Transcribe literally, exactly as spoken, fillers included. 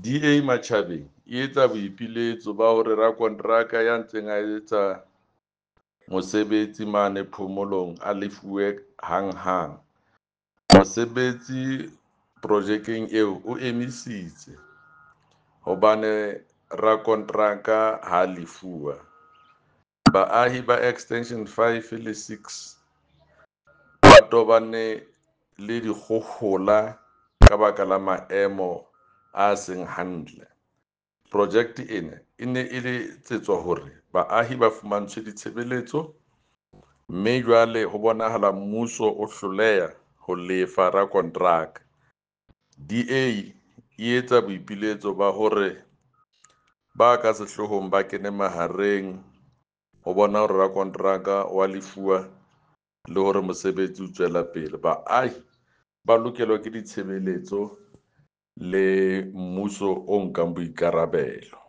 D A Matjhabeng e etsa boipiletso ba hore rakonteraka ya ntseng a etsa mosebetsi mane Phomolong a lefuwe hanghang. Mosebetsi projekeng eo o emisitse hobane rakonteraka ha lefuwa. Baahi ba extension five le six ba tobane le dikgohola ka baka la maemo a seng hantle. Project ena e ne e le etsetswa hore baahi ba fumantshwe ditshebeletso, mme jwale ho bonahala mmuso o hloleha ho lefa rakonteraka. D A e etsa boipiletso ba hore ba ka sehloohong ba kene mahareng ho bona hore rakonteraka wa lefuwa le hore mosebetsi o tswela pele. Baahi ba lokelwa ke ditshebeletso le mmuso o nkang boikarabelo.